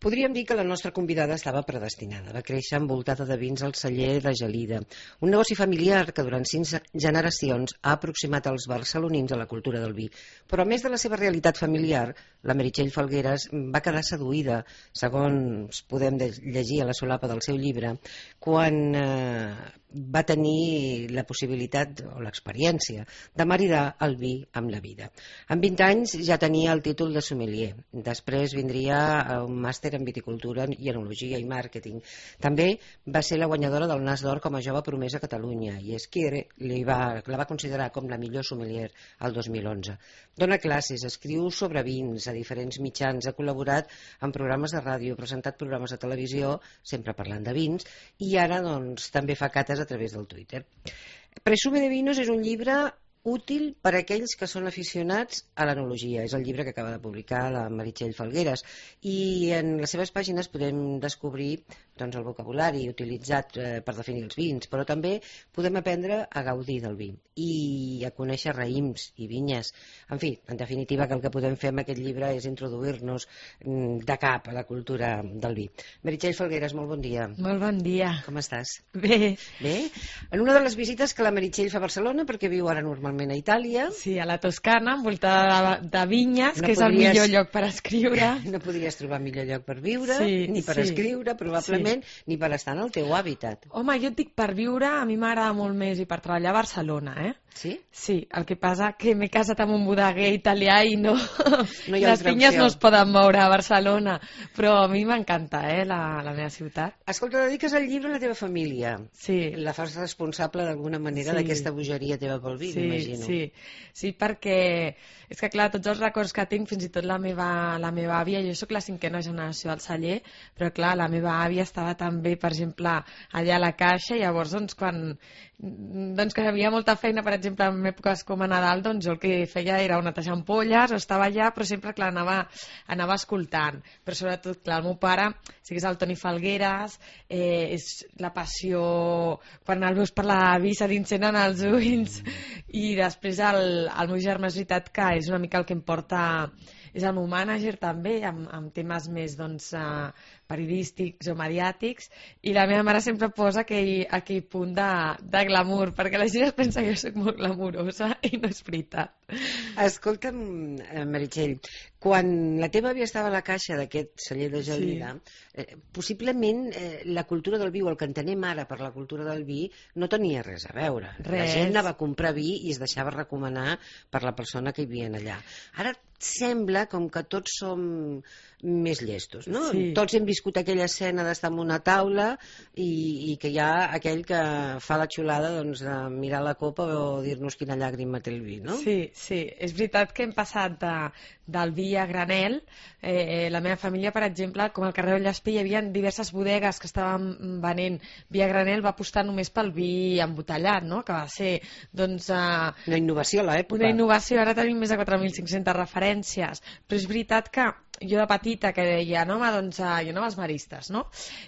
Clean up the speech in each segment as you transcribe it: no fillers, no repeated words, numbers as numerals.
Podríem dir que la nostra convidada estava predestinada. Va créixer envoltada de vins al celler de Gelida, un negoci familiar que durant 5 generacions ha aproximat els barcelonins a la cultura del vi. Però a més de la seva realitat familiar, la Meritxell Falgueras va quedar seduïda, segons podem llegir a la solapa del seu llibre, quan va tenir la possibilitat o l'experiència de maridar el vi amb la vida. Amb 20 anys ja tenia el títol de sommelier. Després vindria un màster en viticultura i enologia i màrqueting. També va ser la guanyadora del Nas d'Or com a jove promesa a Catalunya i Esquire la va considerar com la millor sommelier el 2011. Dona classes, escriu sobre vins a diferents mitjans, ha col·laborat en programes de ràdio, ha presentat programes de televisió, sempre parlant de vins, i ara doncs, també fa cates a través del Twitter. Presume de Vinos és un llibre útil per a aquells que són aficionats a l'enologia. És el llibre que acaba de publicar la Meritxell Falgueras i en les seves pàgines podem descobrir el vocabulari utilitzat per definir els vins, però també podem aprendre a gaudir del vi i a conèixer raïms i vinyes. En fi, en definitiva, que el que podem fer amb aquest llibre és introduir-nos de cap a la cultura del vi. Meritxell Falgueras, molt bon dia. Molt bon dia. Com estàs? Bé. Bé? En una de les visites que la Meritxell fa a Barcelona, perquè viu ara normalment a Itàlia. Sí, a la Toscana, envoltada de vinyes, que és el millor lloc per escriure. No podries trobar millor lloc per viure, ni per sí. escriure, probablement, ni per estar en el teu hàbitat. Home, jo et dic per viure, a mi m'agrada molt més i per treballar a Barcelona, Sí? Sí, el que passa que m'he casat amb un bodeguer italià i no hi ha les vinyes no es poden moure a Barcelona, però a mi m'encanta, la meva ciutat. Escolta, dediques el llibre a la teva família. Sí. La fas responsable d'alguna manera d'aquesta bogeria teva pel vi, m'imagino. Sí, perquè és que clar, tots els records que tinc, fins i tot la meva àvia, jo sóc la 5a generació al celler, però clar, la meva àvia estava també, per exemple, allà a la caixa, i llavors quan que havia molta feina, per exemple, en èpoques com a Nadal, doncs jo el que feia era o netejar ampolles, o estava allà, però sempre, clar, anava escoltant. Però sobretot, clar, el meu pare, sí que és el Toni Falgueras, és la passió, quan el veus per l'avi se t'encenen els ulls, i després el meu germà, és veritat que és una mica el que em porta, és el meu mànager també, amb temes més periodístics o mediàtics, i la meva mare sempre posa aquell punt de glamour, perquè la gent es pensa que jo soc molt glamurosa i no és veritat. Escolta'm, Meritxell, quan la teva àvia estava a la caixa d'aquest celler de Gelida, possiblement la cultura del vi, o el que entenem ara per la cultura del vi, no tenia res a veure. La gent anava a comprar vi i es deixava recomanar per la persona que hi havia allà. Ara sembla com que tots som més llestos, no? Sí. Tots hem viscut aquella escena d'estar en una taula i que hi ha aquell que fa la xulada de mirar la copa o dir-nos quina llàgrima té el vi, no? Sí, és veritat que hem passat del vi a granel. La meva família, per exemple, com al carrer Llespí hi havia diverses bodegues que estaven venent vi a granel, va apostar només pel vi embotellat, no? Que va ser una innovació a l'època. Una innovació, ara tenim més de 4.500 referències, però és veritat que jo de petita que deia, no, home, doncs jo anava als maristes, no?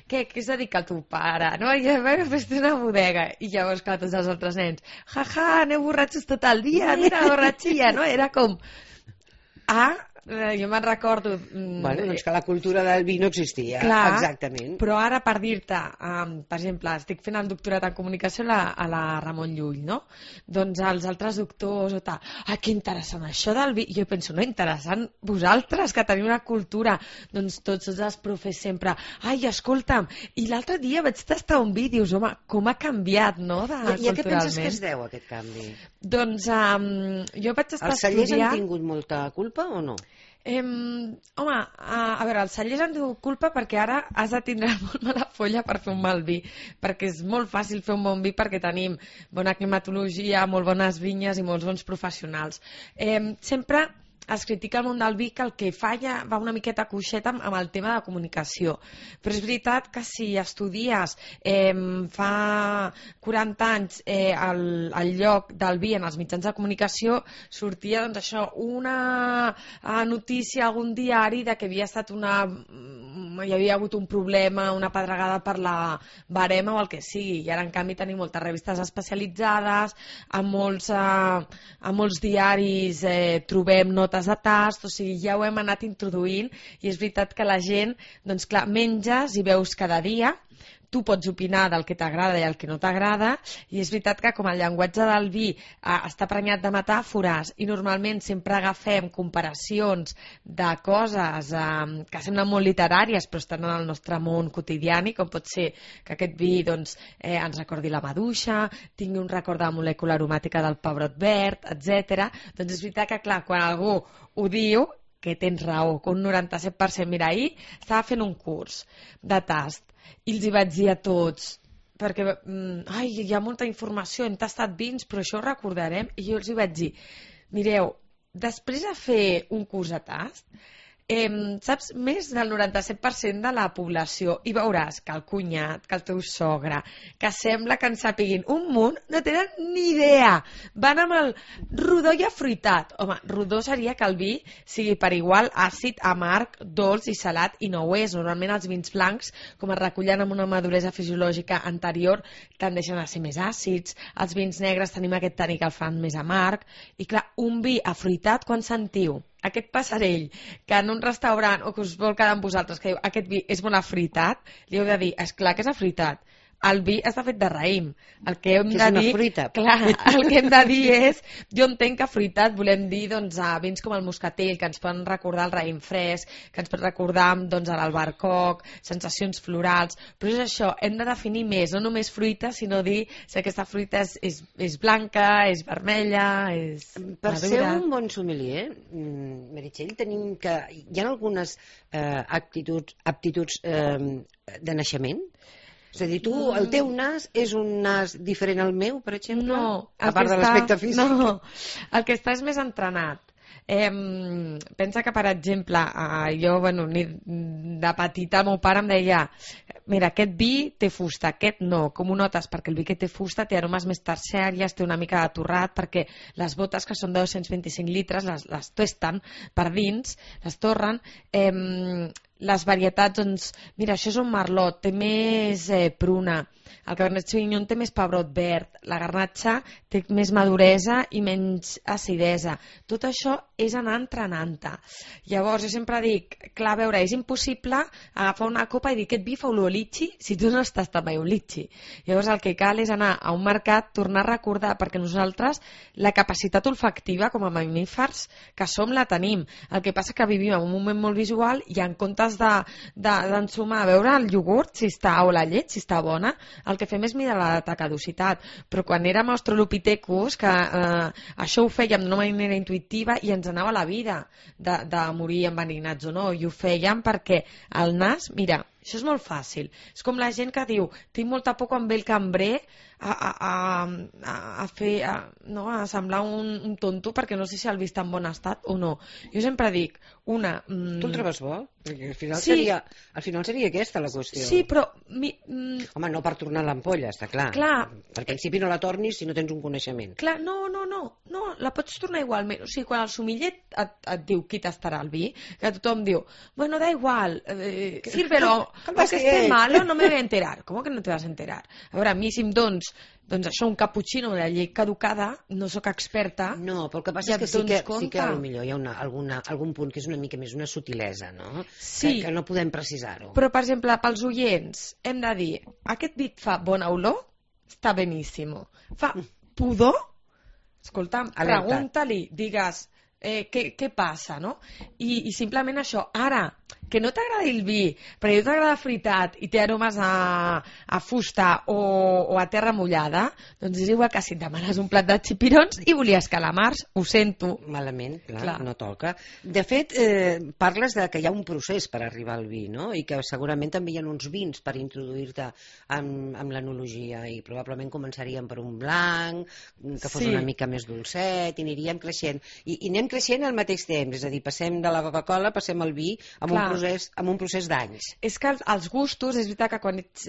Què es dedica el teu pare? No? I jo vaig fer una bodega. I llavors, clar, tots els altres nens, aneu borratxos tot el dia, mira la borratxilla, no? Era com... jo me'n recordo... Doncs que la cultura del vi no existia, clar, exactament. Però ara, per dir-te, per exemple, estic fent el doctorat en comunicació a la Ramon Llull, no? Doncs els altres doctors o tal, que interessant això del vi. I jo penso, no, interessant vosaltres, que teniu una cultura. Doncs tots els profes sempre, escolta'm, i l'altre dia vaig tastar un vi, dius, home, com ha canviat, no, culturalment. I a què penses que es deu, aquest canvi? Doncs jo vaig estar Els cellers han tingut molta culpa o no? Home, a veure, els cellers han tingut culpa perquè ara has de tindre molt mala folla per fer un mal vi, perquè és molt fàcil fer un bon vi perquè tenim bona climatologia, molt bones vinyes i molts bons professionals. Sempre es critica el món del vi que el que falla va una miqueta coixeta amb el tema de comunicació, però és veritat que si estudies fa 40 anys el lloc del vi en els mitjans de comunicació, sortia doncs això, una notícia a algun diari de que havia estat una hi havia hagut un problema, una pedregada per la barema o el que sigui, i ara en canvi tenim moltes revistes especialitzades, a molts diaris trobem notes de tast, o sigui, ja ho hem anat introduint, i és veritat que la gent, doncs clar, menges i veus cada dia, tu pots opinar del que t'agrada i el que no t'agrada, i és veritat que com el llenguatge del vi està prenyat de metàfores i normalment sempre agafem comparacions de coses que semblen molt literàries però estan en el nostre món quotidiani, com pot ser que aquest vi doncs, ens recordi la maduixa, tingui un record de la molècula aromàtica del pebrot verd, etc. Doncs és veritat que clar, quan algú ho diu, que tens raó, que un 97%, mira, ahir estava fent un curs de tast i els hi vaig dir a tots, perquè hi ha molta informació, hem tastat vins, però això ho recordarem, i jo els hi vaig dir, mireu, després de fer un curs de tast, saps més del 97% de la població, i veuràs que el cunyat, que el teu sogre, que sembla que en sàpiguin un munt, no tenen ni idea, van amb el rodó i afruitat. Home, rodó seria que el vi sigui per igual àcid, amarg, dolç i salat, i no ho és. Normalment els vins blancs, com es recullen amb una maduresa fisiològica anterior, tendeixen a ser més àcids, els vins negres tenim aquest tànic que el fan més amarg, i clar, un vi afruitat, quan sentiu aquest passarell que en un restaurant o que us vol quedar amb vosaltres que diu aquest vi és molt afruitat, li heu de dir, esclar que és afruitat, el vi està fet de raïm, el que hem de dir, clar, el que hem de dir és, jo entenc que afruitat volem dir doncs, a vins com el moscatell, que ens poden recordar el raïm fresc, que ens pot recordar doncs, l'albercoc, sensacions florals, però és això, hem de definir més, no només fruita, sinó dir si aquesta fruita és blanca, és vermella, és per madura. ser un bon sommelier, Meritxell, tenim que hi ha algunes aptituds de naixement. És a dir, el teu nas és un nas diferent al meu, per exemple? No. A part de l'aspecte físic? No, el que està és més entrenat. Pensa que, per exemple, jo, de petita, el meu pare em deia mira, aquest vi té fusta, aquest no. Com ho notes? Perquè el vi que té fusta té aromes més terciàries, té una mica de torrat, perquè les botes, que són de 225 litres, les testen per dins, les torren. Les varietats, doncs, mira, això és un merlot, té més pruna, el Cabernet Sauvignon té més pebrot verd, la Garnatxa té més maduresa i menys acidesa. Tot això és anar entrenant-te. Llavors, jo sempre dic, clar, a veure, és impossible agafar una copa i dir aquest vi fa olor a litxi si tu no has tastat mai un litxi. Llavors, el que cal és anar a un mercat, tornar a recordar, perquè nosaltres la capacitat olfactiva com a mamífers que som la tenim. El que passa que vivim en un moment molt visual i en comptes d'ensumar, veure el iogurt si està, o la llet si està bona, el que fem és mirar la data de caducitat. Però quan érem australopithecus, que això ho fèiem d'una manera intuïtiva i ens anava la vida de morir enverinats o no, i ho fèiem perquè el nas, mira, això és molt fàcil. És com la gent que diu, tinc molta por quan ve el cambrer a semblar un tonto perquè no sé si el vi està en bon estat o no. Jo sempre dic, Tu el trobes bo? Perquè al final seria aquesta la qüestió. Sí, però... Home, no per tornar l'ampolla, està clar. Per principi no la tornis si no tens un coneixement. Clar, no, la pots tornar igualment. O sigui, quan el somiller et diu qui tastarà el vi, que tothom diu, bueno, da igual, sírvelo, aunque esté malo, no me voy a enterar. ¿Cómo que no te vas a enterar? A veure, a mi si em doncs això, un cappuccino de la llei caducada, no sóc experta. No, però el que passa és que sí que potser hi ha algun punt que és una mica més una sutilesa, no? Sí. Que no podem precisar-ho. Però, per exemple, pels oients, hem de dir, aquest vi fa bona olor? Està beníssimo. Fa pudor? Escolta'm, pregunta-li, digues, què passa, no? I simplement això. Ara, que no t'agradi el vi, però a tu t'agrada fritat i té aromes a fusta o a terra mullada, doncs és igual que si et demanes un plat de xipirons i volies calamars, ho sento. Malament, clar, no toca. De fet, parles de que hi ha un procés per arribar al vi, no? I que segurament també hi ha uns vins per introduir-te amb l'enologia i probablement començaríem per un blanc, que fos una mica més dolcet, i aniríem creixent. I anem creixent al mateix temps, és a dir, passem de la Coca-Cola, passem al vi amb un procés d'anys. És que els gustos, és veritat que quan ets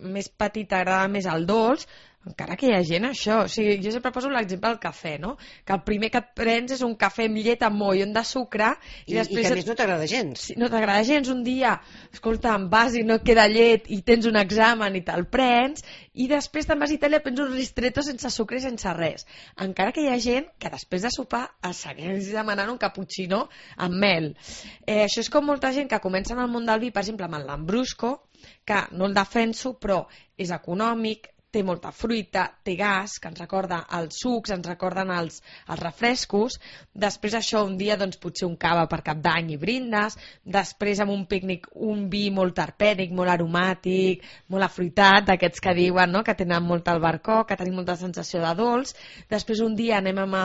més petit t'agrada més el dolç, encara que hi ha gent això, o sigui, jo sempre poso l'exemple del cafè, no? Que el primer que et prens és un cafè amb llet amb mollon de sucre I després que a més no t'agrada gens. no t'agrada gens un dia, escolta, em vas i no et queda llet i tens un examen i te'l prens, i després te'n vas a Itàlia i prens un ristretto sense sucre i sense res. Encara que hi ha gent que després de sopar es segueix demanant un cappuccino amb mel. Això és com molta gent que comença en el món del vi, per exemple, amb el Lambrusco, que no el defenso, però és econòmic, té molta fruita, té gas, que ens recorda els sucs, ens recorden els refrescos. Després això, un dia, doncs, potser un cava per Cap d'Any i brindes. Després, amb un pícnic, un vi molt terpènic, molt aromàtic, molt afruitat, d'aquests que diuen, no?, que tenen molt albercoc, que tenim molta sensació de dolç. Després, un dia, anem amb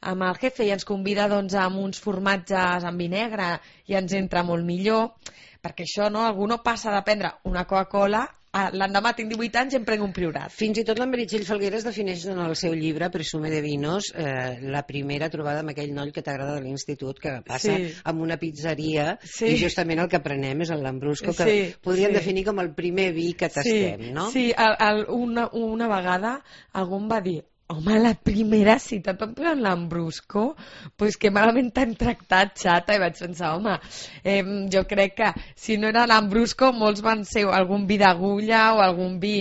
el jefe i ens convida, doncs, amb uns formatges amb vi negre i ens entra molt millor. Perquè això, no?, algú no passa de prendre una Coca-Cola, l'endemà tinc 18 anys i em prenc un Priorat. Fins i tot la Meritxell Falgueras defineix en el seu llibre Presume de Vinos la primera trobada amb aquell noll que t'agrada de l'institut, que passa amb una pizzeria i justament el que prenem és el Lambrusco, que podríem definir com el primer vi que tastem, no? Sí, una vegada algú em va dir: home, la primera cita et van posar un Lambrusco? Pues que malament t'han tractat, xata. I vaig pensar, home, jo crec que si no era Lambrusco, molts van ser algun vi d'agulla o algun vi...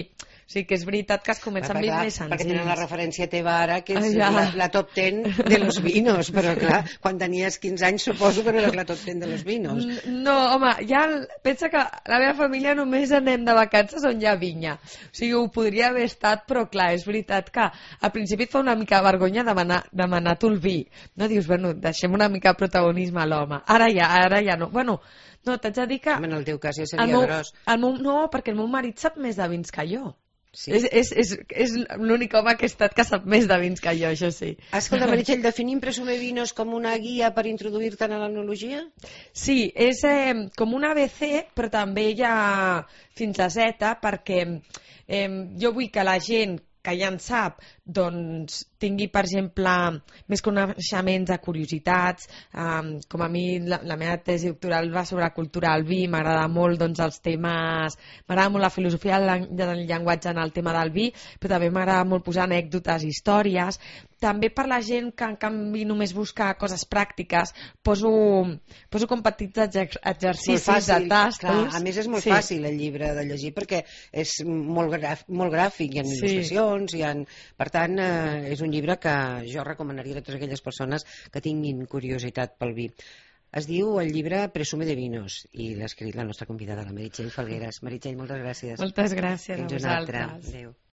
O sigui que és veritat que es comença amb vins més senzills. Perquè tenen la referència teva ara, que és la top 10 de los vinos, però clar, quan tenies 15 anys suposo que no eres la top 10 de los vinos. No, home, ja pensa que la meva família només anem de vacances on hi ha vinya. O sigui, ho podria haver estat, però clar, és veritat que al principi et fa una mica vergonya demanar tu el vi. No dius, bueno, deixem una mica de protagonisme a l'home. Ara ja no. Bueno, no, t'haig de dir que... En el teu cas ja seria gros. No, perquè el meu marit sap més de vins que jo. Sí. És l'únic home que ha estat que sap més de vins que jo, això sí. Escolta, Meritxell, definim Presume Vinos com una guia per introduir-te en l'enologia? Sí, és com un ABC, però també hi ha fins a Z, perquè jo vull que la gent que ja en sap, doncs tingui, per exemple, més coneixements de curiositats. Com a mi la meva tesi doctoral va sobre cultura del vi, m'agrada molt, doncs, els temes, m'agrada molt la filosofia del llenguatge en el tema del vi, però també m'agrada molt posar anècdotes, històries. També per la gent que en canvi només busca coses pràctiques, poso com petits exercicis de tastos. Clar, a més és molt fàcil el llibre de llegir perquè és molt gràfic, hi ha il·lustracions, per tant és un llibre que jo recomanaria a totes aquelles persones que tinguin curiositat pel vi. Es diu el llibre Presume de Vinos i l'ha escrit la nostra convidada, la Meritxell Falgueras. Meritxell, moltes gràcies. Moltes gràcies a vosaltres. Fins una altra. Adéu.